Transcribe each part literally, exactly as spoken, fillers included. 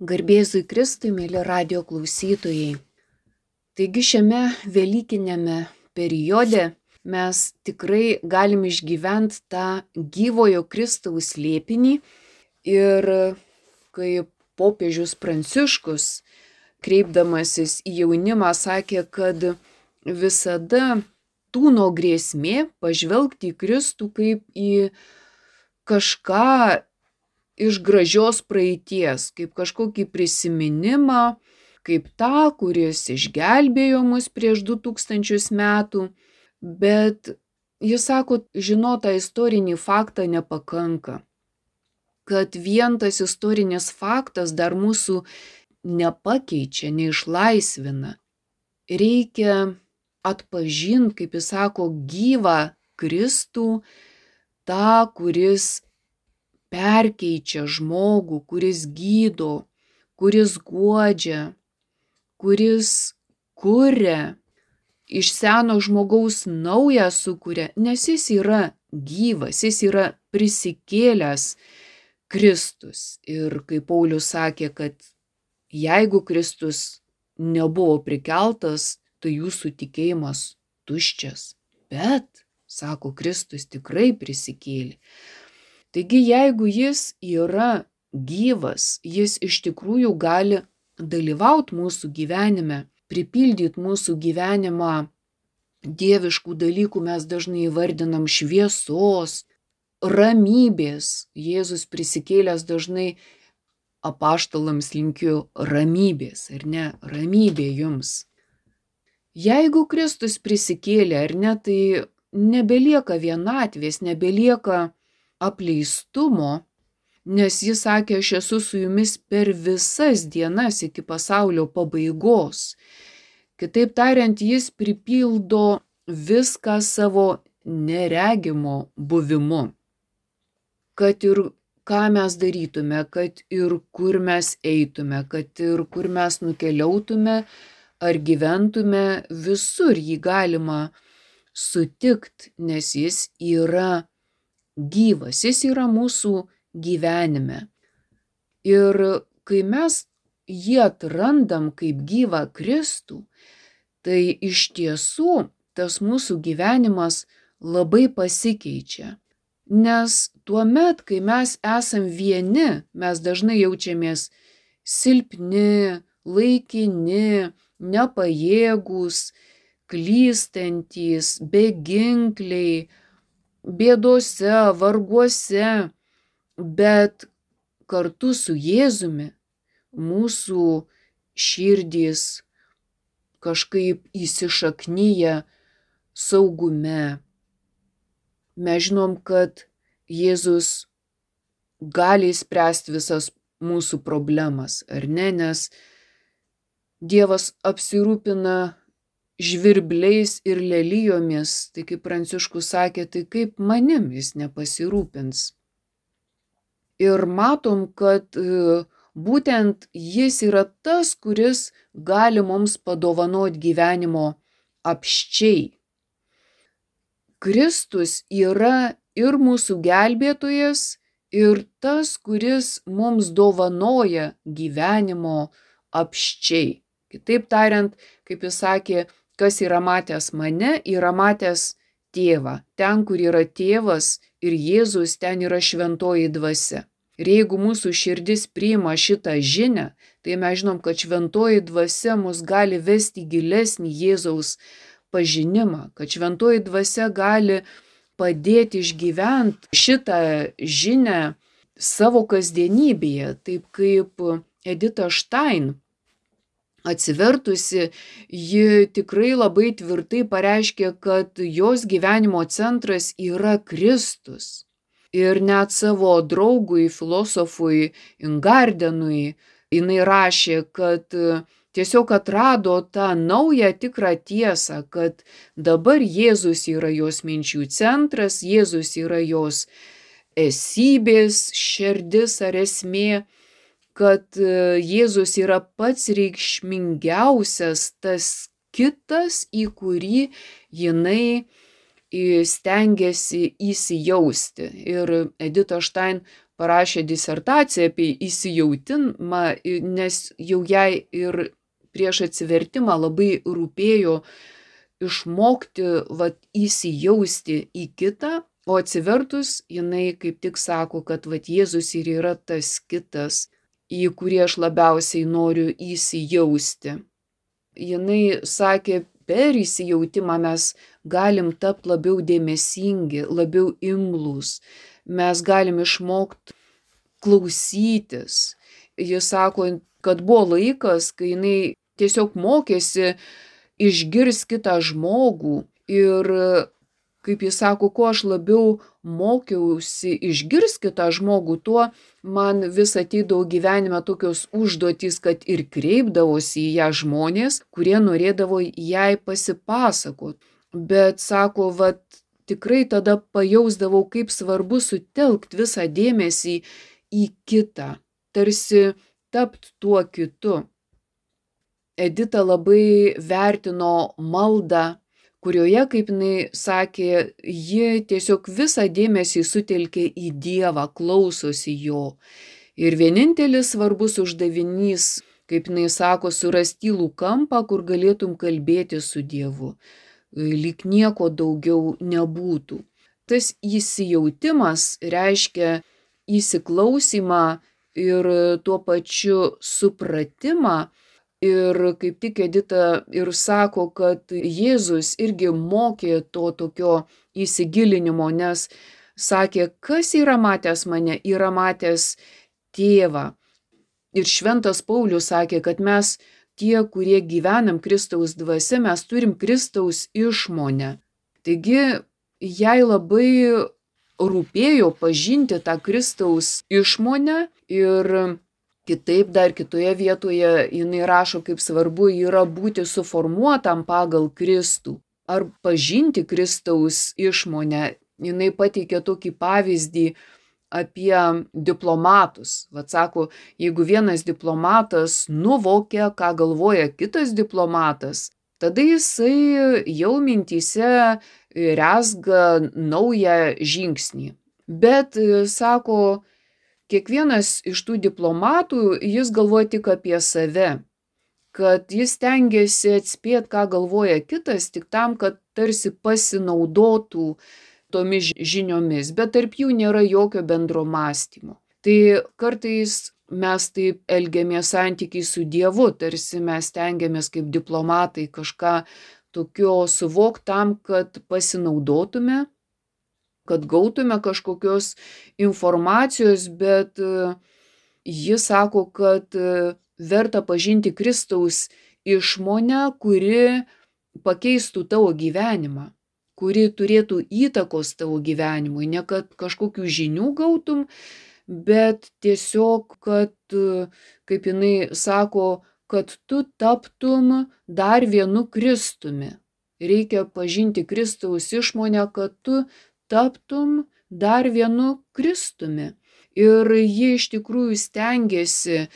Garbėzui Kristui, mėly radio klausytojai. Taigi šiame velykinėme periode mes tikrai galim išgyventi tą gyvojo Kristaus slėpinį ir kaip popiežius Pranciškus, kreipdamasis į jaunimą, sakė, kad visada tūno grėsmė pažvelgti į Kristų kaip į kažką iš gražios praeities, kaip kažkokį prisiminimą, kaip tą, kuris išgelbėjo mus prieš du tūkstančius metų, bet jis sako, žinotą istorinį faktą nepakanka, kad vien tas istorinis faktas dar mūsų nepakeičia, neišlaisvina. Reikia atpažinti, kaip jis sako, gyvą Kristų, tą, kuris perkeičia žmogų, kuris gydo, kuris guodžia, kuris kuria, iš seno žmogaus naują sukuria, nes jis yra gyvas, jis yra prisikėlęs Kristus. Ir kaip Paulius sakė, kad jeigu Kristus nebuvo prikeltas, tai jūsų tikėjimas tuščias. Bet, sako, Kristus tikrai prisikėlė. Taigi, jeigu jis yra gyvas, jis iš tikrųjų gali dalyvauti mūsų gyvenime, pripildyti mūsų gyvenimą dieviškų dalykų, mes dažnai įvardinam šviesos, ramybės. Jėzus prisikėlęs dažnai apaštalams linkiu ramybės, ar ne? Ramybė jums. Jeigu Kristus prisikėlė, ar ne, tai nebelieka vienatvės, nebelieka apleistumo, nes jis sakė, aš esu su jumis per visas dienas iki pasaulio pabaigos. Kitaip tariant, jis pripildo viską savo neregimo buvimu. Kad ir ką mes darytume, kad ir kur mes eitume, kad ir kur mes nukeliautume ar gyventume, visur jį galima sutikti, nes jis yra gyvas, jis yra mūsų gyvenime. Ir kai mes jį atrandam kaip gyvą Kristų, tai iš tiesų tas mūsų gyvenimas labai pasikeičia. Nes tuomet, kai mes esam vieni, mes dažnai jaučiamės silpni, laikini, nepajėgūs, klystantys, beginkliai, bėdose, varguose, bet kartu su Jėzumi mūsų širdys kažkaip įsišaknyja saugume. Mes žinom, kad Jėzus gali spręsti visas mūsų problemas, ar ne, nes Dievas apsirūpina žvirbliais ir lelijomis, tai kaip Pranciškus sakė, tai kaip manim jis nepasirūpins. Ir matom, kad būtent jis yra tas, kuris gali mums padovanoti gyvenimo apsčiai. Kristus yra ir mūsų gelbėtojas, ir tas, kuris mums dovanoja gyvenimo apsčiai. Kitaip tariant, kaip jis sakė, kas yra matęs mane, yra matęs tėvą. Ten, kur yra tėvas ir Jėzus, ten yra šventoji dvasia. Ir jeigu mūsų širdis priima šitą žinią, tai mes žinom, kad šventoji dvasia mus gali vesti gilesnį Jėzaus pažinimą, kad šventoji dvasia gali padėti išgyventi šitą žinią savo kasdienybėje, taip kaip Edita Štain. Atsivertusi, ji tikrai labai tvirtai pareiškė, kad jos gyvenimo centras yra Kristus. Ir net savo draugui, filosofui Ingardenui, jinai rašė, kad tiesiog atrado tą naują tikrą tiesą, kad dabar Jėzus yra jos minčių centras, Jėzus yra jos esybės širdis ar esmė, kad Jėzus yra pats reikšmingiausias, tas kitas, į kurį jinai stengiasi įsijausti. Ir Edita Štain parašė disertaciją apie įsijautimą, nes jau jai ir prieš atsivertimą labai rūpėjo išmokti vat, įsijausti į kitą, o atsivertus jinai kaip tik sako, kad vat, Jėzus ir yra tas kitas, į kurį aš labiausiai noriu įsijausti. Jinai sakė, per įsijautimą mes galim tapti labiau dėmesingi, labiau imlūs, mes galim išmokti klausytis. Jis sako, kad buvo laikas, kai jinai tiesiog mokėsi išgirsti kitą žmogų ir, kaip jis sako, kuo aš labiau mokiausi išgirsti kitą žmogų, tuo man vis ateidavo gyvenime tokios užduotys, kad ir kreipdavosi į ją žmonės, kurie norėdavo jai pasipasakot. Bet sako, vat, tikrai tada pajausdavau, kaip svarbu sutelkti visą dėmesį į kitą, tarsi tapt tuo kitu. Edita labai vertino maldą, kurioje, kaip jinai sakė, ji tiesiog visą dėmesį sutelkė į Dievą, klausosi jo. Ir vienintelis svarbus uždavinys, kaip jinai sako, surasti tylų kampą, kur galėtum kalbėti su Dievu. Lyg nieko daugiau nebūtų. Tas įsijautimas reiškia įsiklausimą ir tuo pačiu supratimą. Ir kaip tik Edita ir sako, kad Jėzus irgi mokė to tokio įsigilinimo, nes sakė, kas yra matęs mane, yra matęs tėvą. Ir šventas Paulius sakė, kad mes tie, kurie gyvenam Kristaus dvasia, mes turim Kristaus išmonę. Taigi jai labai rūpėjo pažinti tą Kristaus išmonę ir kitaip dar kitoje vietoje jinai rašo, kaip svarbu yra būti suformuotam pagal Kristų ar pažinti Kristaus išmonę. Jinai pateikė tokį pavyzdį apie diplomatus. Vat sako, jeigu vienas diplomatas nuvokia, ką galvoja kitas diplomatas, tada jisai jau mintyse rezga naują žingsnį. Bet, sako, kiekvienas iš tų diplomatų, jis galvoja tik apie save, kad jis stengiasi atspėti, ką galvoja kitas, tik tam, kad tarsi pasinaudotų tomis žiniomis, bet tarp jų nėra jokio bendro mąstymo. Tai kartais mes taip elgiamės santykiai su Dievu, tarsi mes stengiamės kaip diplomatai kažką tokio suvokti tam, kad pasinaudotume, kad gautume kažkokios informacijos, bet jis sako, kad verta pažinti Kristaus išmonę, kuri pakeistų tavo gyvenimą, kuri turėtų įtakos tavo gyvenimui, ne kad kažkokių žinių gautum, bet tiesiog, kad, kaip jinai sako, kad tu taptum dar vienu Kristumi. Reikia pažinti Kristaus išmonę, kad tu taptum dar vienu Kristumi. Ir ji iš tikrųjų stengiasi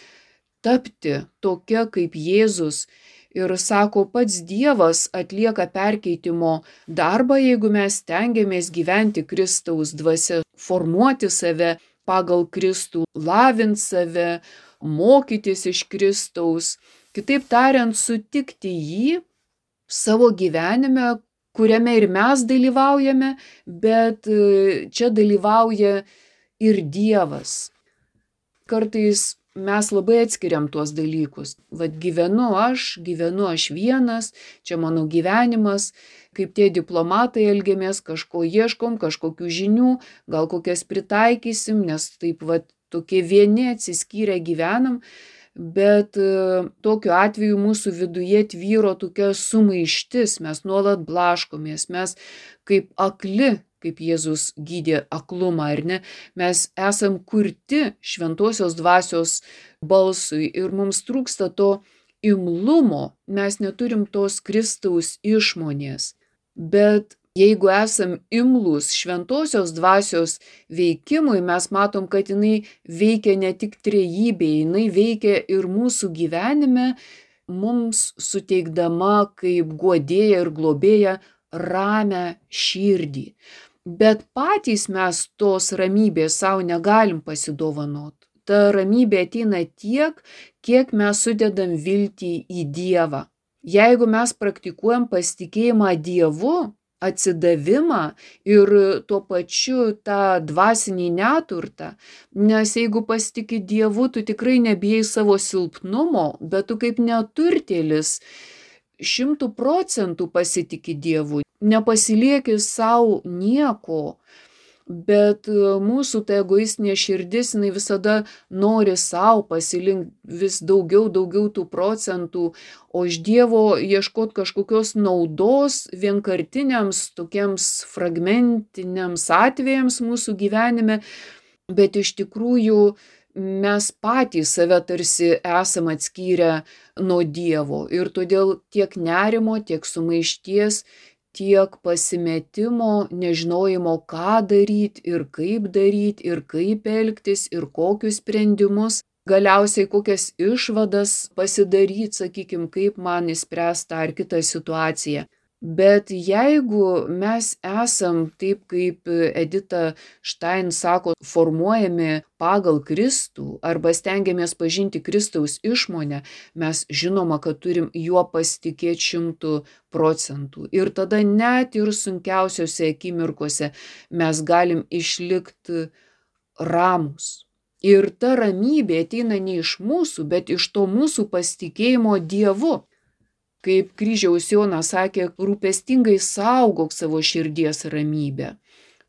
tapti tokia kaip Jėzus. Ir sako, pats Dievas atlieka perkeitimo darbą, jeigu mes stengiamės gyventi Kristaus dvasia, formuoti save pagal Kristų, lavinti save, mokytis iš Kristaus. Kitaip tariant, sutikti jį savo gyvenime, kuriame ir mes dalyvaujame, bet čia dalyvauja ir Dievas. Kartais mes labai atskiriam tuos dalykus. Vat gyvenu aš, gyvenu aš vienas, čia mano gyvenimas, kaip tie diplomatai elgiamės, kažko ieškom, kažkokių žinių, gal kokias pritaikysim, nes taip vat tokie vieni atsiskyrę gyvenam. Bet tokiu atveju mūsų viduje tvyro tokia sumaištis, mes nuolat blaškomės, mes kaip akli, kaip Jėzus gydė aklumą, ar ne, mes esam kurti šventosios dvasios balsui ir mums trūksta to imlumo, mes neturim tos Kristaus išmonės. Bet jeigu esam imlūs šventosios dvasios veikimui, mes matom, kad jinai veikia ne tik trejybėje, jinai veikia ir mūsų gyvenime, mums suteikdama kaip guodėja ir globėja ramią širdį. Bet patys mes tos ramybės savo negalim pasidovanot. Ta ramybė ateina tiek, kiek mes sudedam viltį į Dievą. Jeigu mes praktikuojam pasitikėjimą Dievu, atsidavimą ir tuo pačiu tą dvasinį neturtą, nes jeigu pasitiki Dievu, tu tikrai nebijai savo silpnumo, bet tu kaip neturtėlis šimtų procentų pasitiki Dievu, nepasilieki savo nieko. Bet mūsų ta egoistinė širdis, jinai visada nori savo pasilinkti vis daugiau, daugiau tų procentų, o iš Dievo ieškot kažkokios naudos vienkartiniams, tokiems fragmentiniams atvejams mūsų gyvenime, bet iš tikrųjų mes patys save tarsi esam atskyrę nuo Dievo ir todėl tiek nerimo, tiek sumaišties, tiek pasimetimo, nežinojimo, ką daryti ir kaip daryti ir kaip elgtis ir kokius sprendimus, galiausiai kokias išvadas pasidaryti, sakykime, kaip man išspręsti tą ar kitą situaciją. Bet jeigu mes esam, taip kaip Edita Štain sako, formuojami pagal Kristų arba stengiamės pažinti Kristaus išmonę, mes žinoma, kad turim juo pasitikėti šimtų procentų. Ir tada net ir sunkiausiose akimirkose mes galim išlikti ramus. Ir ta ramybė ateina ne iš mūsų, bet iš to mūsų pasitikėjimo Dievu. Kaip kryžiaus Jonas sakė, rūpestingai saugok savo širdies ramybę,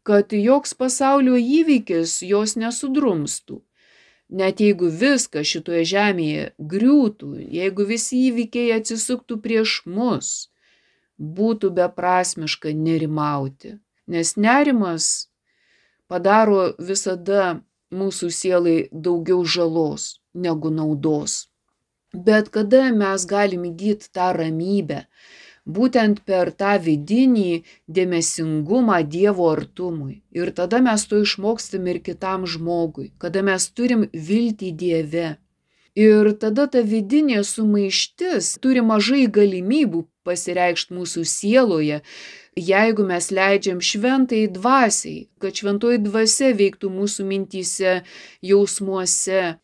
kad joks pasaulio įvykis jos nesudrumstų. Net jeigu viskas šitoje žemėje griūtų, jeigu visi įvykiai atsisuktų prieš mus, būtų beprasmiška nerimauti, nes nerimas padaro visada mūsų sielai daugiau žalos negu naudos. Bet kada mes galim įgyti tą ramybę, būtent per tą vidinį dėmesingumą Dievo artumui. Ir tada mes to išmokstam ir kitam žmogui, kada mes turim viltį Dieve. Ir tada ta vidinė sumaištis turi mažai galimybių pasireikšti mūsų sieloje, jeigu mes leidžiam šventai dvasiai, kad šventoji dvasia veiktų mūsų mintyse, jausmuose.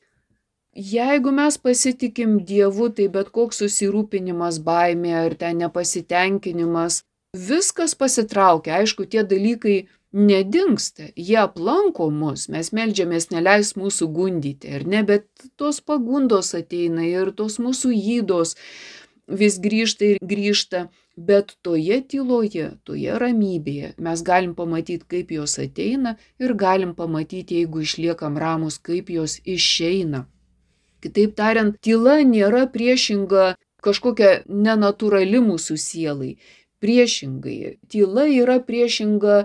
Jeigu mes pasitikim Dievu, tai bet koks susirūpinimas, baimė ar ten nepasitenkinimas, viskas pasitraukia. Aišku, tie dalykai nedingsta, jie aplanko mus, mes meldžiamės neleis mūsų gundyti, ar ne, bet tos pagundos ateina ir tos mūsų ydos vis grįžta ir grįžta, bet toje tyloje, toje ramybėje mes galim pamatyti, kaip jos ateina ir galim pamatyti, jeigu išliekam ramus, kaip jos išeina. Kitaip tariant, tyla nėra priešinga kažkokia nenatūrali mūsų sielai. Priešingai, tyla yra priešinga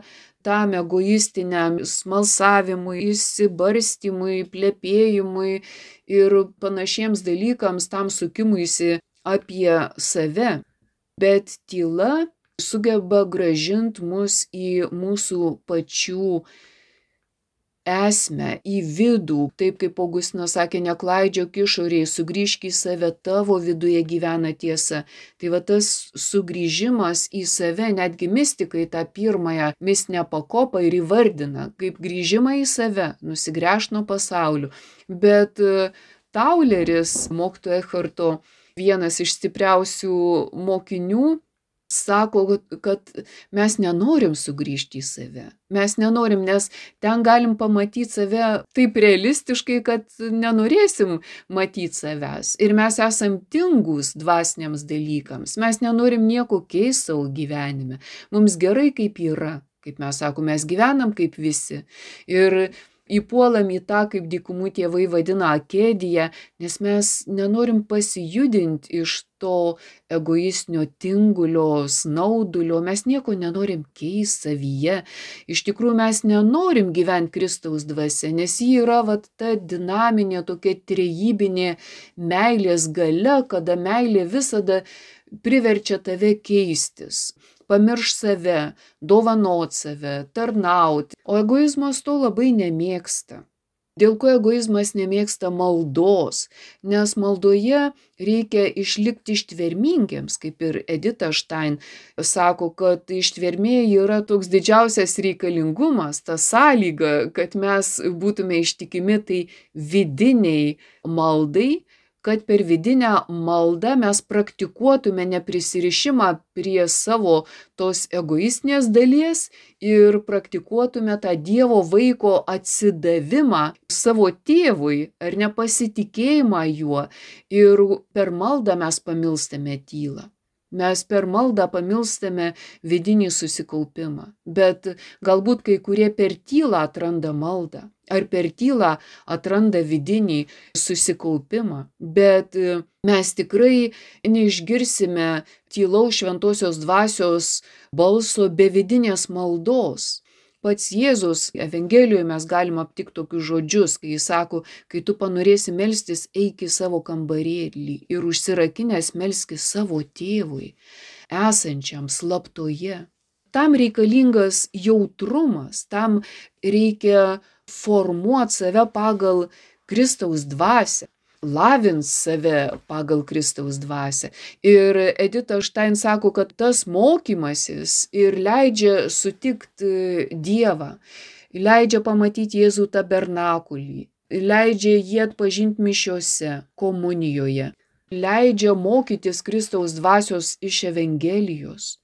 tam egoistiniam smalsavimui, įsibarstymui, plepėjimui ir panašiems dalykams, tam sukimuisi apie save. Bet tyla sugeba grąžinti mus į mūsų pačių esmę, į vidų, taip kaip Augustinas sakė, neklaidžiok išorėje, sugrįžk į save, tavo viduje gyvena tiesa. Tai va tas sugrįžimas į save, netgi mistikai tą pirmąją mistinę pakopą ir įvardina, kaip grįžimą į save, nusigręžt nuo pasaulio. Bet Tauleris, mokytojo Ekharto, vienas iš stipriausių mokinių, sako, kad mes nenorim sugrįžti į save. Mes nenorim, nes ten galim pamatyti save taip realistiškai, kad nenorėsim matyti savęs. Ir mes esam tingus dvasiniams dalykams. Mes nenorim nieko keisti savo gyvenime. Mums gerai kaip yra. Kaip mes sakom, mes gyvenam kaip visi. Ir įpuolam į tą, kaip dykumų tėvai vadina, akėdiją, nes mes nenorim pasijudinti iš to egoistinio tingulio, snaudulio, mes nieko nenorim keisti savyje. Iš tikrųjų mes nenorim gyventi Kristaus dvasia, nes ji yra vat, ta dinaminė, tokia trejybinė meilės galia, kada meilė visada priverčia tave keistis. Pamirš save, dovanot save, tarnauti. O egoizmas to labai nemėgsta. Dėl ko egoizmas nemėgsta maldos? Nes maldoje reikia išlikti ištvermingiems, kaip ir Edita Štain sako, kad ištvermė yra toks didžiausias reikalingumas, ta sąlyga, kad mes būtume ištikimi tai vidiniai maldai, kad per vidinę maldą mes praktikuotume neprisirišimą prie savo tos egoistinės dalies ir praktikuotume tą Dievo vaiko atsidavimą savo tėvui ar nepasitikėjimą juo. Ir per maldą mes pamilstame tylą. Mes per maldą pamilstame vidinį susikaupimą. Bet galbūt kai kurie per tylą atranda maldą. Ar per tylą atranda vidinį susikaupimą. Bet mes tikrai neišgirsime tylaus šventosios dvasios balso be vidinės maldos. Pats Jėzus Evangelijoje mes galim aptikti tokius žodžius, kai jis sako, kai tu panorėsi melstis, eik į savo kambarėlį ir užsirakinęs melskis savo tėvui, esančiam slaptoje. Tam reikalingas jautrumas, tam reikia formuoti save pagal Kristaus dvasią, lavint save pagal Kristaus dvasią. Ir Edita Štain sako, kad tas mokymasis ir leidžia sutikti Dievą, leidžia pamatyti Jėzų tabernakulį, leidžia jį atpažinti mišiose, komunijoje, leidžia mokytis Kristaus dvasios iš Evangelijos.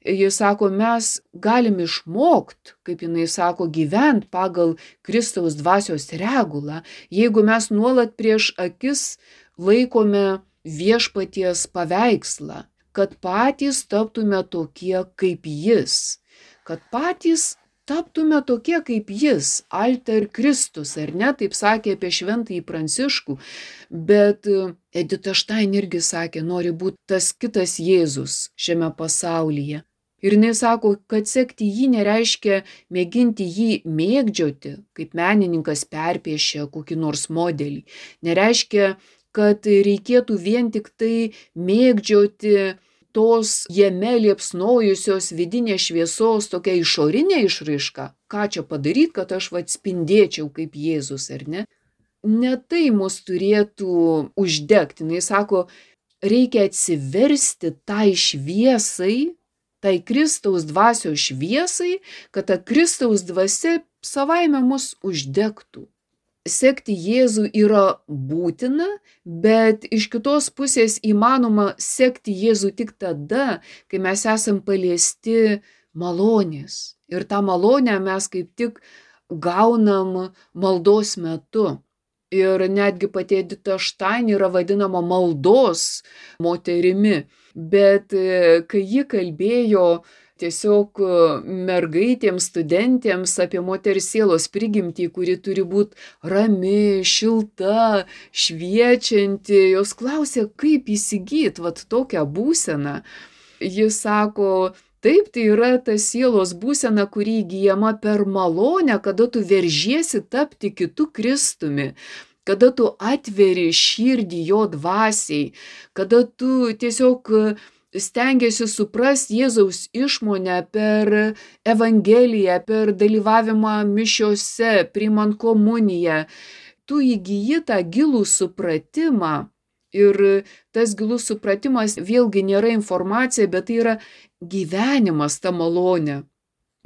Jis sako, mes galim išmokti, kaip jinai sako, gyventi pagal Kristaus dvasios regulą, jeigu mes nuolat prieš akis laikome viešpaties paveikslą, kad patys taptume tokie kaip jis, kad patys taptume tokie kaip jis, alter Kristus, ar ne, taip sakė apie šventąjį Pranciškų, bet Edita Štain irgi sakė, nori būti tas kitas Jėzus šiame pasaulyje. Ir jinai sako, kad sekti jį nereiškia mėginti jį mėgdžioti, kaip menininkas perpiešia kokį nors modelį. Nereiškia, kad reikėtų vien tik tai mėgdžioti tos jame liepsnojusios vidinės šviesos tokia išorinė išraiška. Ką čia padaryti, kad aš vat spindėčiau kaip Jėzus, ar ne? Ne tai mus turėtų uždegti. Jis sako, reikia atsiversti tai šviesai, tai Kristaus dvasios šviesai, kad ta Kristaus dvasia savaime mus uždegtų. Sekti Jėzų yra būtina, bet iš kitos pusės įmanoma sekti Jėzų tik tada, kai mes esam paliesti malonės. Ir tą malonę mes kaip tik gaunam maldos metu. Ir netgi pati Edita Štain yra vadinama maldos moterimi. Bet kai ji kalbėjo tiesiog mergaitėms, studentėms apie moters sielos prigimtį, kuri turi būti rami, šilta, šviečianti, jos klausė, kaip įsigyti vat tokią būseną. Jis sako, taip, tai yra ta sielos būsena, kuri įgyjama per malonę, kada tu veržiesi tapti kitu Kristumi, kada tu atveri širdį jo dvasiai, kada tu tiesiog stengiasi suprasti Jėzaus išmonę per Evangeliją, per dalyvavimą mišiose, priimant komuniją. Tu įgyji tą gilų supratimą. Ir tas gilus supratimas vėlgi nėra informacija, bet tai yra gyvenimas, ta malonė.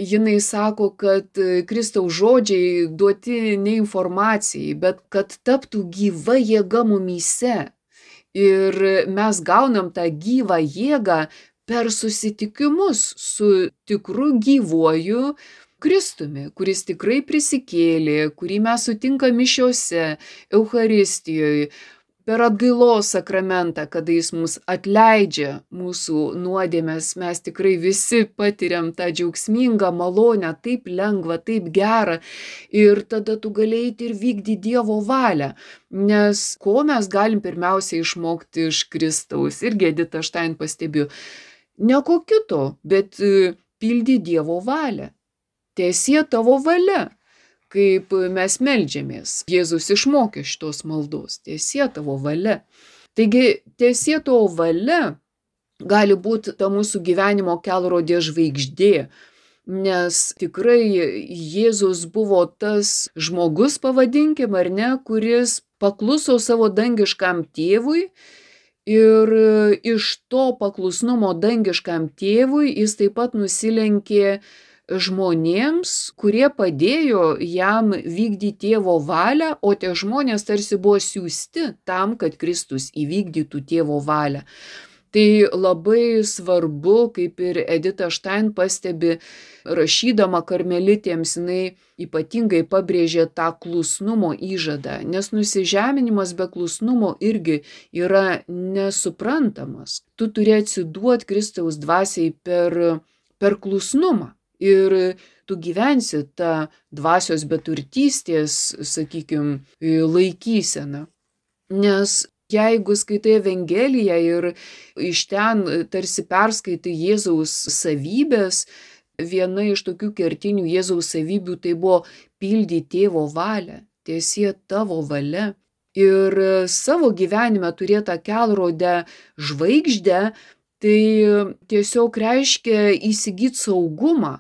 Jinai sako, kad Kristaus žodžiai duoti ne informacijai, bet kad taptų gyva jėga mumyse. Ir mes gaunam tą gyvą jėgą per susitikimus su tikru gyvuoju Kristumi, kuris tikrai prisikėlė, kurį mes sutinkam mišiose, Eucharistijoje, per atgailos sakramentą, kada jis mus atleidžia mūsų nuodėmes, mes tikrai visi patiriam tą džiaugsmingą malonę, taip lengva, taip gera. Ir tada tu gali eiti ir vykdyti Dievo valią. Nes ko mes galim pirmiausiai išmokti iš Kristaus? Irgi Edita Štain pastebėjo. Ne ko kito, bet pildy Dievo valią. Tiesie tavo valia. Kaip mes meldžiamės. Jėzus išmokė šitos maldos. Tiesie tavo valia. Taigi, tiesie tavo valia gali būti ta mūsų gyvenimo kelrodė žvaigždė. nes tikrai Jėzus buvo tas žmogus, pavadinkim, ar ne, kuris pakluso savo dangiškam tėvui ir iš to paklusnumo dangiškam tėvui jis taip pat nusilenkė žmonėms, kurie padėjo jam vykdyti tėvo valią, o tie žmonės tarsi buvo siųsti tam, kad Kristus įvykdytų tėvo valią. Tai labai svarbu, kaip ir Edita Štain pastebi, rašydama karmelitėms, jinai ypatingai pabrėžė tą klusnumo įžadą, nes nusižeminimas be klusnumo irgi yra nesuprantamas. Tu turi atsiduoti Kristaus dvasiai per, per klusnumą. Ir tu gyvensi tą dvasios beturtystės, sakykime, laikyseną. Nes jeigu skaitai Evangeliją ir iš ten tarsi perskaitai Jėzaus savybės, viena iš tokių kertinių Jėzaus savybių tai buvo pildyti tėvo valią, tiesie tavo valia. Ir savo gyvenime turėtą kelrodę žvaigždę, tai tiesiog reiškia įsigyti saugumą.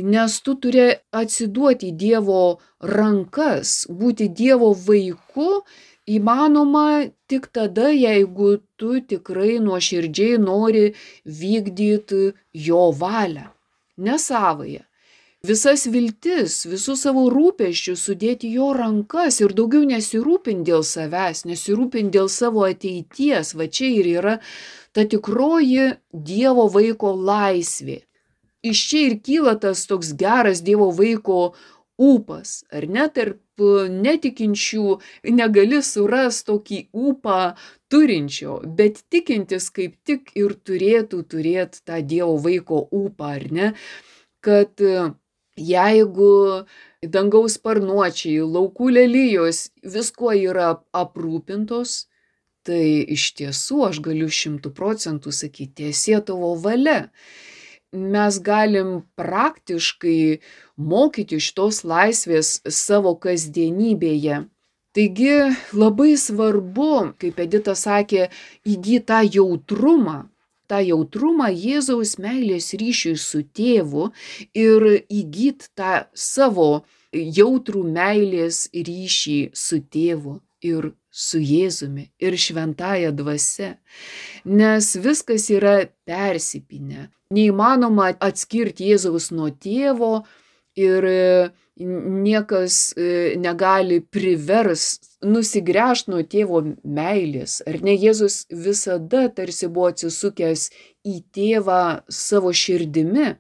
Nes tu turi atsiduoti į Dievo rankas, būti Dievo vaiku įmanoma tik tada, jeigu tu tikrai nuoširdžiai nori vykdyti jo valią, ne savąją. Visas viltis, visus savo rūpesčius sudėti jo rankas ir daugiau nesirūpinti dėl savęs, nesirūpinti dėl savo ateities. Va čia ir yra ta tikroji Dievo vaiko laisvė. Iš čia ir kyla tas toks geras Dievo vaiko ūpas, ar ne, tarp netikinčių negali surasti tokį ūpą turinčio, bet tikintis kaip tik ir turėtų turėti tą Dievo vaiko ūpą, ar ne, kad jeigu dangaus sparnuočiai, laukų lelijos viskuo yra aprūpintos, tai iš tiesų aš galiu šimtų procentų sakyti, tiesie tavo valia. Mes galim praktiškai mokyti šitos laisvės savo kasdienybėje. Taigi labai svarbu, kaip Edita sakė, įgyti tą jautrumą, tą jautrumą Jėzaus meilės ryšiui su tėvu ir įgyti tą savo jautrų meilės ryšį su tėvu ir su Jėzumi ir šventąja dvasia, nes viskas yra persipynę. Neįmanoma atskirti Jėzaus nuo tėvo ir niekas negali privers nusigręžti nuo tėvo meilės. Ar ne, Jėzus visada tarsi buvo atsisukęs į tėvą savo širdimi,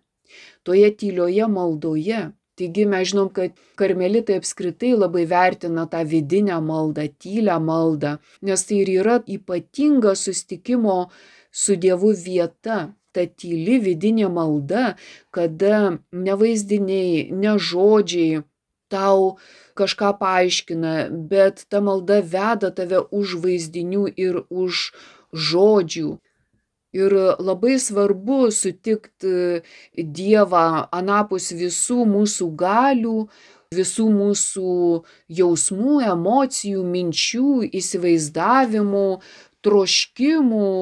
toje tylioje maldoje. Taigi mes žinom, kad karmelitai apskritai labai vertina tą vidinę maldą, tylią maldą, nes tai ir yra ypatinga susitikimo su Dievu vieta. Ta tyli vidinė malda, kada ne vaizdiniai, ne žodžiai tau kažką paaiškina, bet ta malda veda tave už vaizdinių ir už žodžių. Ir labai svarbu sutikti Dievą anapus visų mūsų galių, visų mūsų jausmų, emocijų, minčių, įsivaizdavimų, troškimų.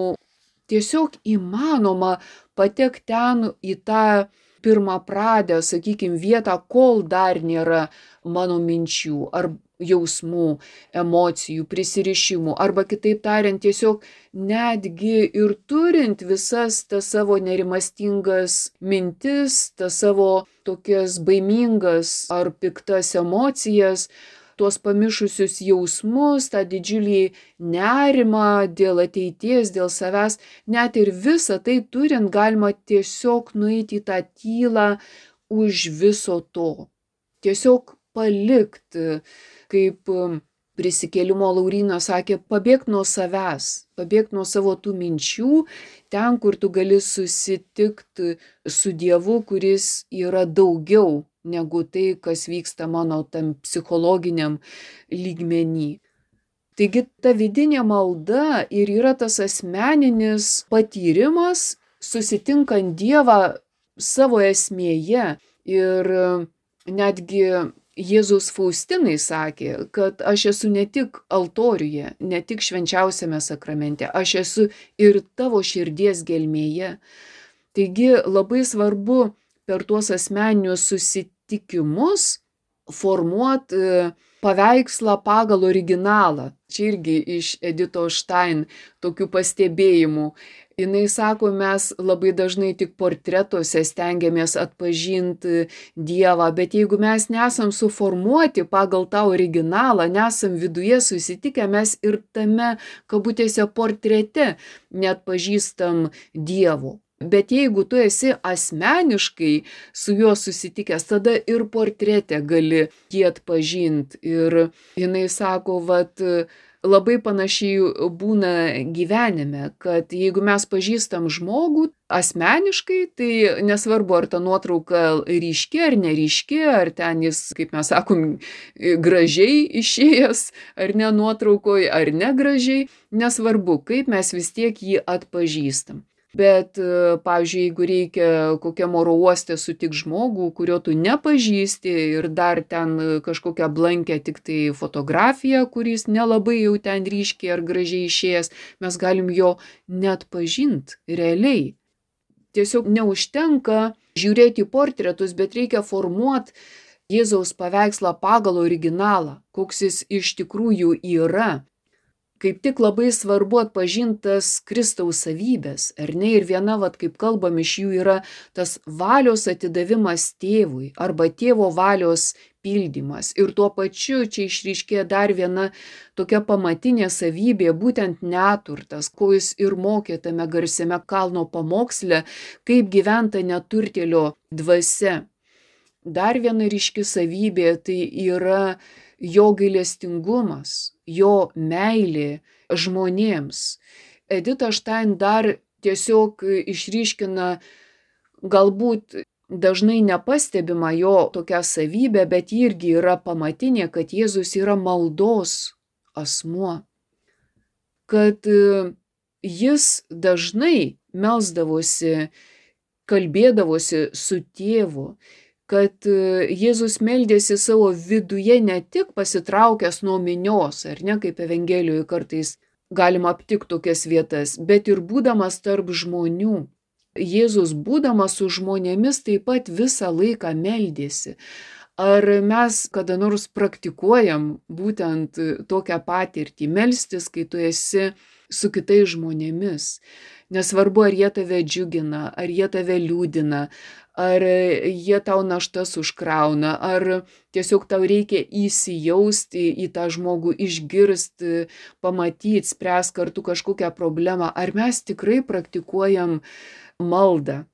Tiesiog įmanoma patekti ten į tą pirmapradę, sakykime, vietą, kol dar nėra mano minčių ar jausmų, emocijų, prisirišimų, arba kitaip tariant, tiesiog netgi ir turint visas tas savo nerimastingas mintis, tas savo tokias baimingas ar piktas emocijas, tuos pamišusius jausmus, tą didžiulį nerimą dėl ateities, dėl savęs, net ir visą tai turint, galima tiesiog nueiti į tą tylą už viso to. Tiesiog palikti, kaip prisikėlimo Laurynas sakė, pabėgti nuo savęs, pabėgti nuo savo tų minčių, ten, kur tu gali susitikti su Dievu, kuris yra daugiau negu tai, kas vyksta mano tam psichologiniam lygmenį. Taigi ta vidinė malda ir yra tas asmeninis patyrimas, susitinkant Dievą savo esmėje. Ir netgi Jėzus Faustinai sakė, kad aš esu ne tik altoriuje, ne tik švenčiausiame sakramente, aš esu ir tavo širdies gelmėje. Taigi labai svarbu per tuos asmeninius susitikimus formuot paveikslą pagal originalą. Čia irgi iš Editos Stein tokių pastebėjimų. Jinai sako, mes labai dažnai tik portretuose stengiamės atpažinti Dievą, bet jeigu mes nesam suformuoti pagal tą originalą, nesam viduje susitikę, mes ir tame, kabutėse, portrete neatpažįstam Dievo. Bet jeigu tu esi asmeniškai su juo susitikęs, tada ir portrete gali jį atpažinti. Ir jinai sako, vat, labai panašiai būna gyvenime, kad jeigu mes pažįstam žmogų asmeniškai, tai nesvarbu, ar ta nuotrauka ryški ar neryški, ar ten jis, kaip mes sakom, gražiai išėjęs, ar ne nuotraukoje, ar negražiai, nesvarbu, kaip mes vis tiek jį atpažįstam. Bet, pavyzdžiui, jeigu reikia kokiam oro uoste sutik žmogų, kurio tu nepažįsti ir dar ten kažkokią blankę tik tai fotografiją, kuris nelabai jau ten ryškiai ar gražiai išėjęs, mes galim jo neatpažinti realiai. Tiesiog neužtenka žiūrėti į portretus, bet reikia formuoti Jėzaus paveikslą pagal originalą, koks jis iš tikrųjų yra. Kaip tik labai svarbu atpažintas Kristaus savybės, ar ne? Ir viena, vat, kaip kalbam, iš jų yra tas valios atidavimas tėvui arba tėvo valios pildymas. Ir tuo pačiu čia išryškėja dar viena tokia pamatinė savybė, būtent neturtas, ko jis ir mokė tame garsiame kalno pamoksle, kaip gyventa neturtėlio dvasia. Dar viena ryški savybė tai yra jo gailestingumas, jo meilė žmonėms. Edita Stein dar tiesiog išryškina galbūt dažnai nepastebima jo tokia savybė, bet irgi yra pamatinė, kad Jėzus yra maldos asmuo. Kad jis dažnai melsdavosi, kalbėdavosi su tėvu, kad Jėzus meldėsi savo viduje ne tik pasitraukęs nuo minios, ar ne, kaip Evangelijoje kartais galima aptikti tokias vietas, bet ir būdamas tarp žmonių. Jėzus būdamas su žmonėmis taip pat visą laiką meldėsi. Ar mes kada nors praktikuojam būtent tokią patirtį, melstis, kai tu esi su kitais žmonėmis? Nesvarbu, ar jie tave džiugina, ar jie tave liūdina, ar jie tau naštas užkrauna, ar tiesiog tau reikia įsijausti į tą žmogų, išgirsti, pamatyti, spręs kartu kažkokią problemą, ar mes tikrai praktikuojam maldą.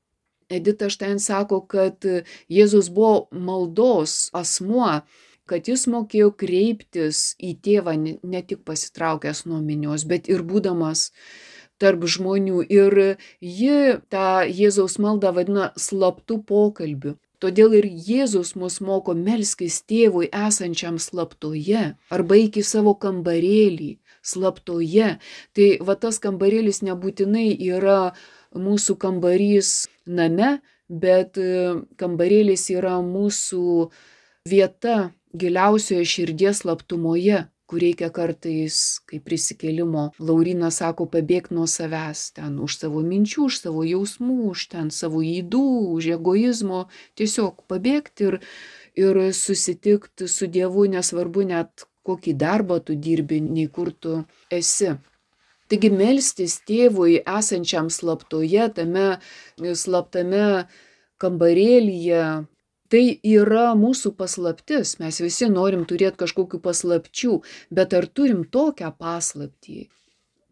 Edita Stein sako, kad Jėzus buvo maldos asmuo, kad jis mokėjo kreiptis į tėvą ne tik pasitraukęs nuo minios, bet ir būdamas tarp žmonių. Ir ji tą Jėzaus maldą vadina slaptų pokalbių. Todėl ir Jėzus mus moko melskis tėvui esančiam slaptoje, arba eik į savo kambarėlį slaptoje. Tai va tas kambarėlis nebūtinai yra mūsų kambarys name, bet kambarėlis yra mūsų vieta giliausioje širdies slaptumoje, kur reikia kartais, kaip prisikėlimo Laurynas sako, pabėgti nuo savęs, ten už savo minčių, už savo jausmų, už ten savo ydų, už egoizmo, tiesiog pabėgti ir, ir susitikti su Dievu, nesvarbu net kokį darbą tu dirbi, nei kur tu esi. Taigi melstis tėvui esančiam slaptoje, tame slaptame kambarėlyje, tai yra mūsų paslaptis. Mes visi norim turėti kažkokių paslapčių, bet ar turim tokią paslaptį?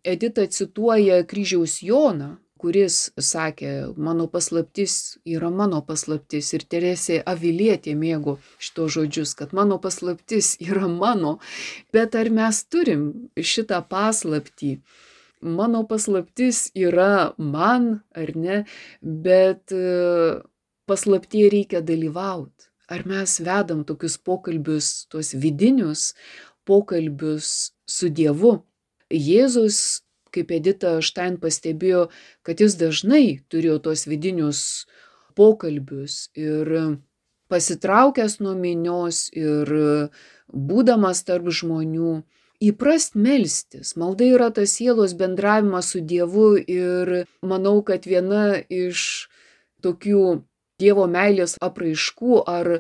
Edita cituoja kryžiaus Joną, kuris sakė, mano paslaptis yra mano paslaptis. Ir Teresė Avilietė mėgo šito žodžius, kad mano paslaptis yra mano. Bet ar mes turim šitą paslaptį? Mano paslaptis yra man, ar ne? Bet paslaptyje reikia dalyvauti. Ar mes vedam tokius pokalbius, tuos vidinius pokalbius su Dievu? Jėzus, kaip Edita Stein pastebėjo, kad jis dažnai turėjo tuos vidinius pokalbius ir pasitraukęs nuo minios ir būdamas tarp žmonių, įprast melstis. Malda yra tas sielos bendravimas su Dievu ir manau, kad viena iš tokių Dievo meilės apraiškų ar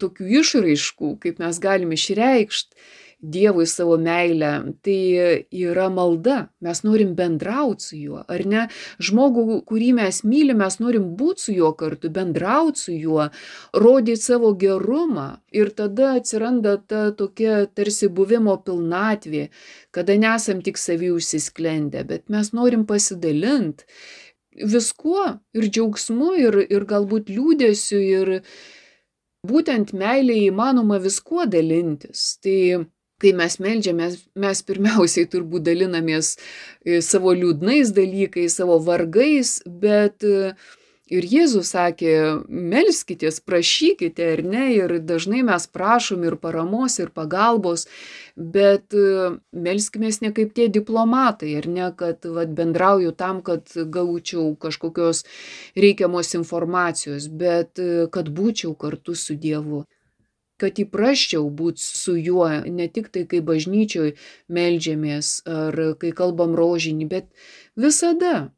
tokių išraiškų, kaip mes galim išreikšti Dievui savo meilę, tai yra malda. Mes norim bendrauti su juo, ar ne? Žmogų, kurį mes mylim, mes norim būti su juo kartu, bendrauti su juo, rodyti savo gerumą. Ir tada atsiranda ta tokia tarsi buvimo pilnatvė, kada nesam tik savy užsisklendę, bet mes norim pasidalinti viskuo ir džiaugsmu, ir, ir galbūt liūdėsiu, ir būtent meilėje įmanoma viskuo dalintis. Tai kai mes meldžiamės, mes pirmiausiai turbūt dalinamės savo liūdnais dalykais, savo vargais, bet ir Jėzus sakė, melskitės, prašykite, ar ne, ir dažnai mes prašom ir paramos, ir pagalbos, bet melskimės ne kaip tie diplomatai, ar ne, kad vat, bendrauju tam, kad gaučiau kažkokios reikiamos informacijos, bet kad būčiau kartu su Dievu. Kad įprasčiau būti su juo, ne tik tai, kai bažnyčioj meldžiamės ar kai kalbam rožinį, bet visada.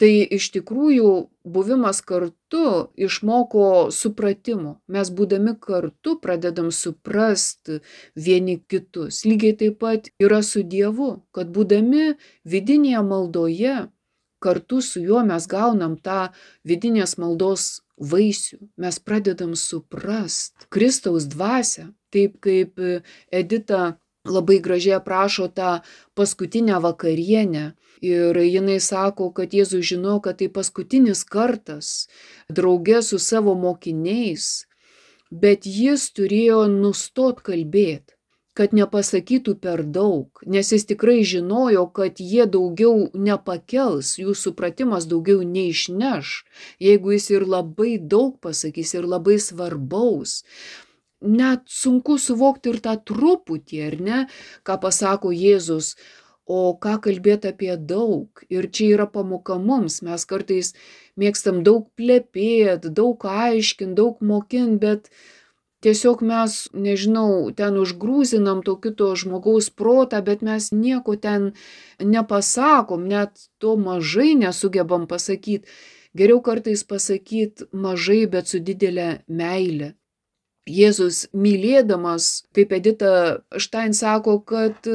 Tai iš tikrųjų buvimas kartu išmoko supratimo. Mes būdami kartu pradedam suprasti vieni kitus. Lygiai taip pat yra su Dievu, kad būdami vidinėje maldoje, kartu su juo mes gaunam tą vidinės maldos vaisių. Mes pradedam suprast Kristaus dvasią, taip kaip Edita labai gražiai aprašo tą paskutinę vakarienę. Ir jinai sako, kad Jėzus žino, kad tai paskutinis kartas drauge su savo mokiniais, bet jis turėjo nustot kalbėti, kad nepasakytų per daug, nes jis tikrai žinojo, kad jie daugiau nepakels, jų supratimas daugiau neišneš, jeigu jis ir labai daug pasakys, ir labai svarbaus. Net sunku suvokti ir tą truputį, ar ne, ką pasako Jėzus, o ką kalbėti apie daug. Ir čia yra pamoka mums, mes kartais mėgstam daug plepėti, daug aiškinti, daug mokinti, bet tiesiog mes, nežinau, ten užgrūzinam to kito žmogaus protą, bet mes nieko ten nepasakom, net to mažai nesugebam pasakyti. Geriau kartais pasakyti mažai, bet su didelė meile. Jėzus mylėdamas, kaip Edita Štain sako, kad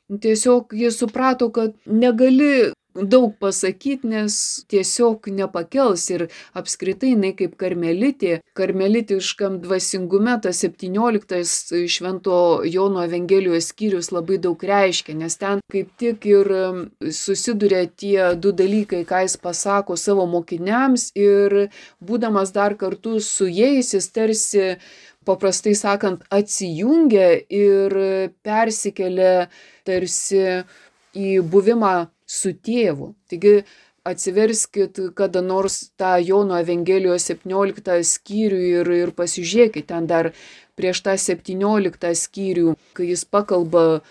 tiesiog jis suprato, kad negali daug pasakyti, nes tiesiog nepakels. Ir apskritai jinai kaip karmelitė, karmelitiškam dvasingume tas septynioliktas Švento Jono Evangelijos skyrius labai daug reiškia, nes ten kaip tik ir susiduria tie du dalykai, ką jis pasako savo mokiniams, ir būdamas dar kartu su jais, jis tarsi, paprastai sakant, atsijungia ir persikelia tarsi į buvimą su tėvu. Taigi atsiverskit kada nors tą Jono Evangelijos septynioliktą skyrių ir, ir pasižiūrėkit ten dar prieš tą septynioliktą skyrių, kai jis pakalba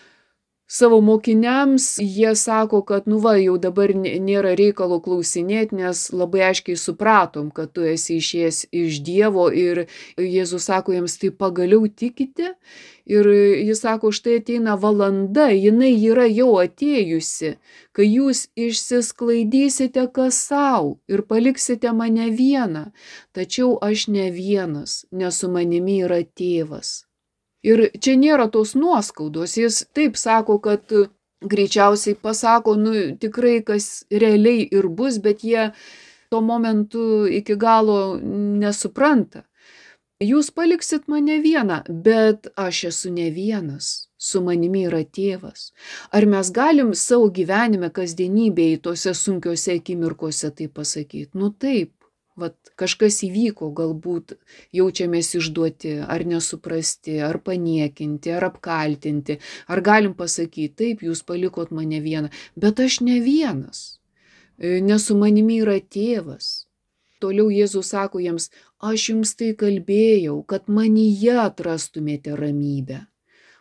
savo mokiniams, jie sako, kad nu va, jau dabar nėra reikalo klausinėti, nes labai aiškiai supratom, kad tu esi išėjęs iš Dievo, ir Jėzus sako jiems, tai pagaliau tikite? Ir jis sako, štai ateina valanda, jinai yra jau atėjusi, kai jūs išsisklaidysite kas sau ir paliksite mane vieną, tačiau aš ne vienas, nes su manimi yra tėvas. Ir čia nėra tos nuoskaudos, jis taip sako, kad greičiausiai pasako, nu tikrai kas realiai ir bus, bet jie tuo momentu iki galo nesupranta. Jūs paliksit mane vieną, bet aš esu ne vienas, su manimi yra tėvas. Ar mes galim savo gyvenime, kasdienybėje, tose sunkiose akimirkose tai pasakyti? Nu taip. Vat kažkas įvyko, galbūt jaučiamės išduoti, ar nesuprasti, ar paniekinti, ar apkaltinti, ar galim pasakyti, taip, jūs palikot mane vieną, bet aš ne vienas, nes su manimi yra tėvas. Toliau Jėzus sako jiems, aš jums tai kalbėjau, kad manyje atrastumėte ramybę.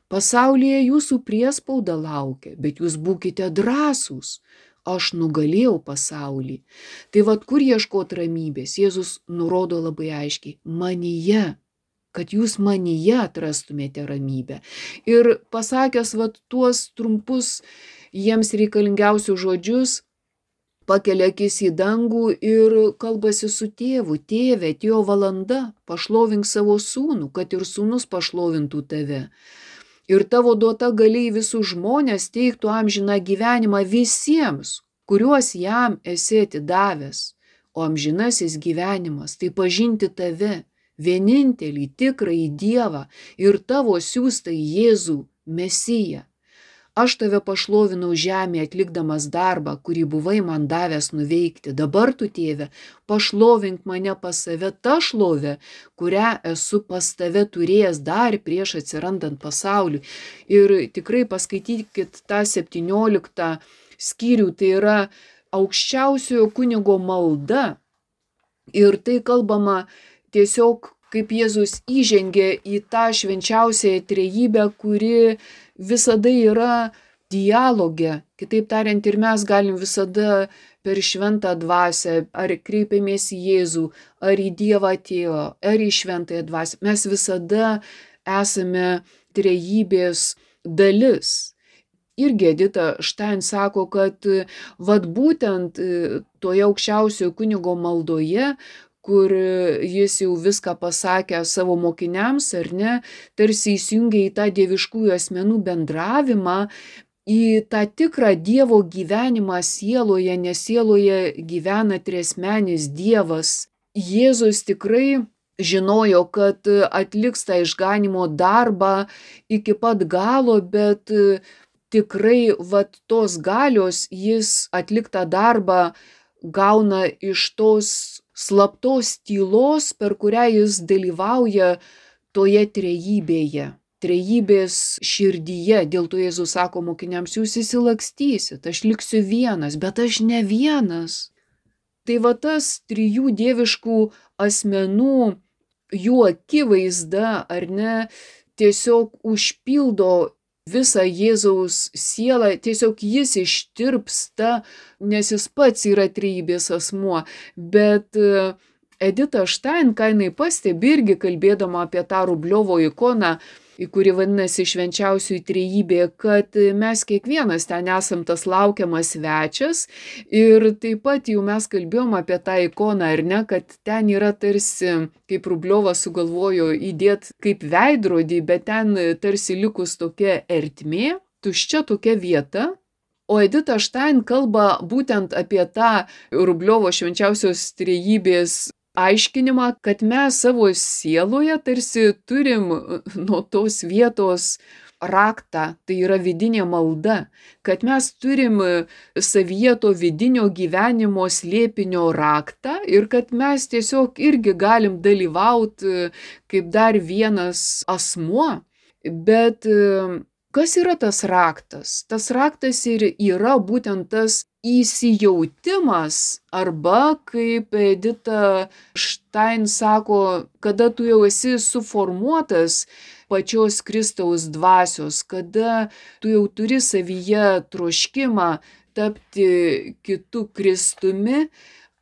Pasaulyje jūsų priespauda laukia, bet jūs būkite drąsūs. Aš nugalėjau pasaulį. Tai vat kur ieškot ramybės? Jėzus nurodo labai aiškiai, manyje, kad jūs manyje atrastumėte ramybę. Ir pasakęs vat tuos trumpus jiems reikalingiausius žodžius, pakelia akis į dangų ir kalbasi su tėvu. Tėve, atėjo valanda, pašlovink savo sūnų, kad ir sūnus pašlovintų tave. Ir tavo duota galiai visus žmonės teiktų amžiną gyvenimą visiems, kuriuos jam esi atidavęs. O amžinasis gyvenimas tai pažinti tave, vienintelį tikrąjį Dievą ir tavo siųstą Jėzų, Mesiją. Aš tave pašlovinau žemėje atlikdamas darbą, kurį buvai man davęs nuveikti. Dabar tu, tėve, pašlovink mane pas save tą šlovę, kurią esu pas tave turėjęs dar prieš atsirandant pasauliui. Ir tikrai paskaitykit tą septynioliktą skyrių, tai yra aukščiausiojo kunigo malda. Ir tai kalbama tiesiog, kaip Jėzus įžengė į tą švenčiausiąją trejybę, kuri visada yra dialoge. Kitaip tariant, ir mes galim visada per šventą dvasią, ar kreipiamės į Jėzų, ar į Dievą Tėvą, ar į šventąją dvasią. Mes visada esame trejybės dalis. Irgi Edita Štain sako, kad vat būtent toje aukščiausiojo kunigo maldoje, kur jis jau viską pasakė savo mokiniams, ar ne, tarsi įsijungia į tą dieviškųjų asmenų bendravimą, į tą tikrą Dievo gyvenimą sieloje, nes sieloje gyvena triasmenis Dievas. Jėzus tikrai žinojo, kad atliks tą išganimo darbą iki pat galo, bet tikrai vat tos galios jis atliktą darbą gauna iš tos slaptos tylos, per kurią jis dalyvauja toje trejybėje, trejybės širdyje. Dėl to Jėzus sako mokiniams, jūs įsilakstysit, aš liksiu vienas, bet aš ne vienas. Tai va tas trijų dieviškų asmenų, jų akivaizda, ar ne, tiesiog užpildo visą Jėzaus sielą, tiesiog jis ištirpsta, nes jis pats yra trejybės asmuo. Bet Edita Štain, ką jinai pastebi irgi kalbėdama apie tą Rubliovo ikoną, kuri vadinasi švenčiausioji trejybė, kad mes kiekvienas ten esam tas laukiamas svečias. Ir taip pat jau mes kalbėjom apie tą ikoną, ar ne, kad ten yra tarsi, kaip Rubliovas sugalvojo įdėti kaip veidrodį, bet ten tarsi likus tokia ertmė, tuščia tokia vieta. O Edita Štain kalba būtent apie tą Rubliovo švenčiausios trejybės aiškinimą, kad mes savo sieloje tarsi turim nuo tos vietos raktą, tai yra vidinė malda, kad mes turim savyje to vidinio gyvenimo slėpinio raktą ir kad mes tiesiog irgi galim dalyvauti kaip dar vienas asmuo. Bet kas yra tas raktas? Tas raktas ir yra būtent tas įsijautimas, arba, kaip Edita Štain sako, kada tu jau esi suformuotas pačios Kristaus dvasios, kada tu jau turi savyje troškimą tapti kitu Kristumi,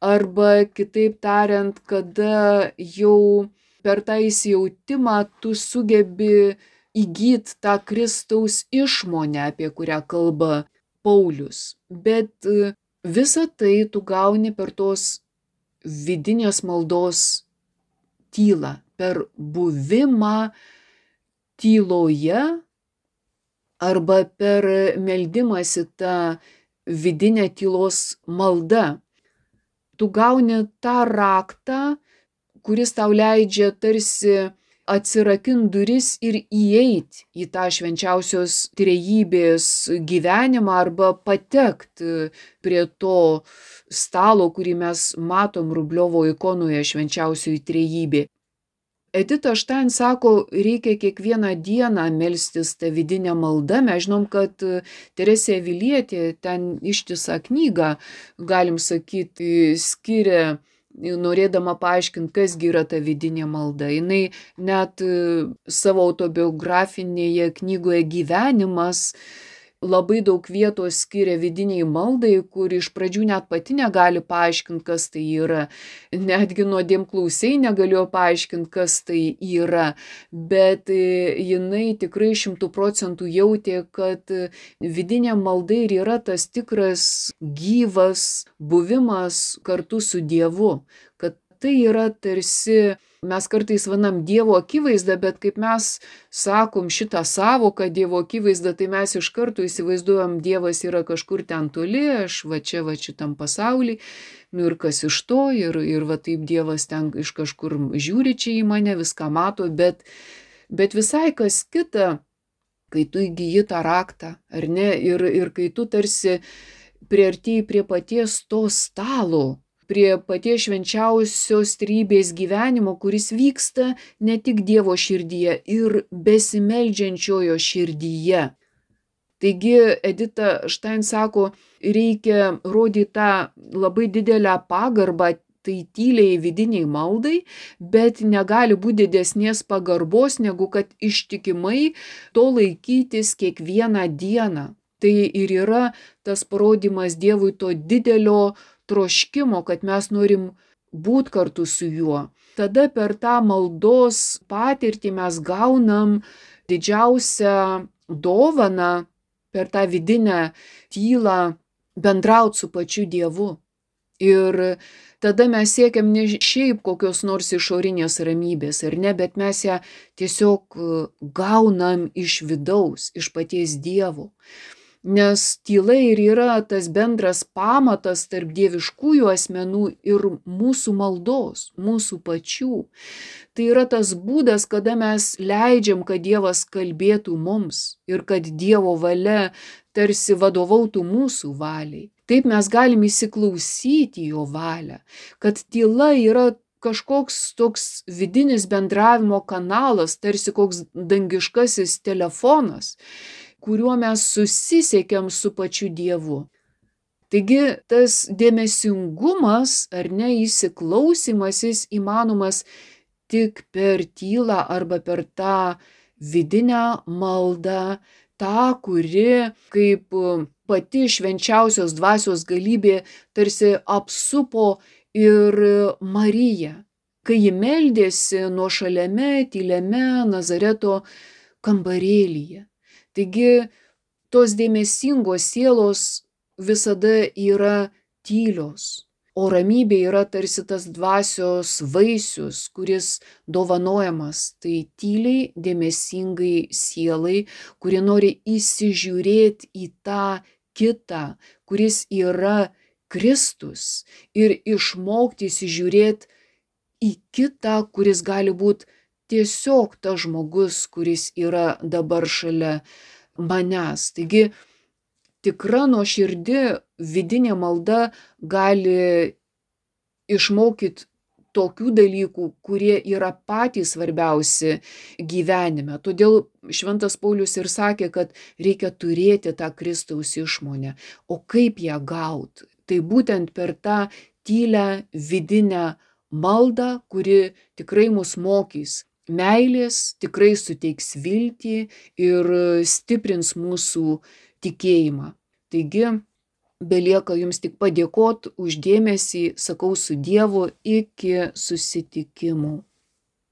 arba kitaip tariant, kada jau per tą įsijautimą tu sugebi įgyti tą Kristaus išmonę, apie kurią kalba Paulius. Bet visą tai tu gauni per tos vidinės maldos tylą, per buvimą tyloje arba per meldimąsi tą vidinę tylos maldą. Tu gauni tą raktą, kuris tau leidžia tarsi atsirakint duris ir įeit į tą švenčiausios trejybės gyvenimą arba patekt prie to stalo, kurį mes matom Rubliovo ikonoje švenčiausioji trejybė. Edita Štain sako, reikia kiekvieną dieną melstis tą vidinę maldą. Mes žinom, kad Teresė Avilietė ten ištisą knygą, galim sakyti, skiria, norėdama paaiškinti, kasgi yra ta vidinė malda. Jinai net savo autobiografinėje knygoje Gyvenimas labai daug vietos skiria vidiniai maldai, kur iš pradžių net pati negali paaiškinti, kas tai yra. Netgi nuodėmklausiai negalėjo paaiškinti, kas tai yra. Bet jinai tikrai šimtų procentų jautė, kad vidinė malda ir yra tas tikras gyvas buvimas kartu su Dievu. Kad tai yra tarsi, mes kartais vadinam Dievo akivaizdą, bet kaip mes sakom šitą sąvoką Dievo akivaizdą, tai mes iš karto įsivaizduojam, Dievas yra kažkur ten toli, aš va čia, va šitam pasauly, nu ir kas iš to, ir, ir va taip Dievas ten iš kažkur žiūri čia į mane, viską mato, bet, bet visai kas kita, kai tu įgyji tą raktą, ar ne, ir, ir kai tu tarsi priartėjai prie paties to stalo, prie paties švenčiausios trejybės gyvenimo, kuris vyksta ne tik Dievo širdyje ir besimeldžiančiojo širdyje. Taigi Edita Štain sako, reikia rodyti tą labai didelę pagarbą tai tyliai vidiniai maldai, bet negali būti didesnės pagarbos, negu kad ištikimai to laikytis kiekvieną dieną. Tai ir yra tas parodymas Dievui to didelio troškimo, kad mes norim būti kartu su juo. Tada per tą maldos patirtį mes gaunam didžiausią dovaną, per tą vidinę tylą bendrauti su pačiu Dievu. Ir tada mes siekiam ne šiaip kokios nors išorinės ramybės, ar ne, bet mes ją tiesiog gaunam iš vidaus, iš paties Dievo. Nes tyla ir yra tas bendras pamatas tarp dieviškųjų asmenų ir mūsų maldos, mūsų pačių. Tai yra tas būdas, kada mes leidžiam, kad Dievas kalbėtų mums ir kad Dievo valia tarsi vadovautų mūsų valiai. Taip mes galim įsiklausyti jo valią, kad tyla yra kažkoks toks vidinis bendravimo kanalas, tarsi koks dangiškasis telefonas, kuriuo mes susisiekiam su pačiu Dievu. Taigi tas dėmesingumas ar ne įsiklausimas jis įmanomas tik per tylą arba per tą vidinę maldą, tą, kuri kaip pati švenčiausios dvasios galybė tarsi apsupo ir Mariją, kai ji meldėsi nuošaliame, tyliame Nazareto kambarėlyje. Taigi tos dėmesingos sielos visada yra tylios, o ramybė yra tarsi tas dvasios vaisius, kuris dovanojamas tai tyliai, dėmesingai sielai, kuri nori įsižiūrėti į tą kitą, kuris yra Kristus, ir išmokti įsižiūrėti į kitą, kuris gali būti tiesiog tas žmogus, kuris yra dabar šalia manęs. Taigi tikra nuoširdi vidinė malda gali išmokyti tokių dalykų, kurie yra patys svarbiausi gyvenime. Todėl Šventas Paulius ir sakė, kad reikia turėti tą Kristaus išmonę. O kaip ją gauti? Tai būtent per tą tylią vidinę maldą, kuri tikrai mus mokys meilės, tikrai suteiks viltį ir stiprins mūsų tikėjimą. Taigi, belieka jums tik padėkoti už dėmesį, sakau su Dievu, iki susitikimų.